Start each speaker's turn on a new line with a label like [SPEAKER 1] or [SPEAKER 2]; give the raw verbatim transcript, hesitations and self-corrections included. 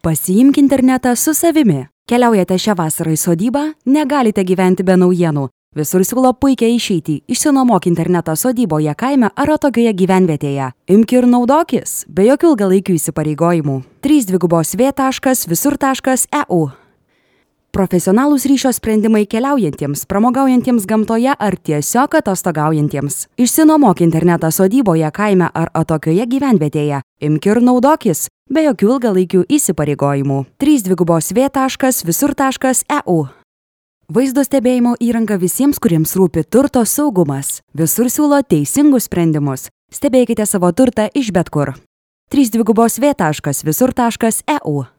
[SPEAKER 1] Pasiimk internetą su savimi. Keliaujate šią vasarą į sodybą, negalite gyventi be naujienų. Visur siūlo puikiai išeitį. Išsinuomok internetą sodyboje, kaime ar atokioje gyvenvietėje. Imk ir naudokis, be jokių ilgalaikių įsipareigojimų. trys dvigubos v taškas visur taškas e u. Profesionalūs ryšio sprendimai keliaujantiems, pramogaujantiems gamtoje ar tiesiog atostogaujantiems. Išsinuomok internetą sodyboje, kaime ar atokioje gyvenvietėje. Imk ir naudokis, be jokių ilgalaikių įsipareigojimų. trys dvigubos v taškas visur taškas e u. Vaizdo stebėjimo įranga visiems, kuriems rūpi turto saugumas. Visur siūlo teisingus sprendimus. Stebėkite savo turtą iš bet kur. trys dvigubos v taškas visur taškas e u.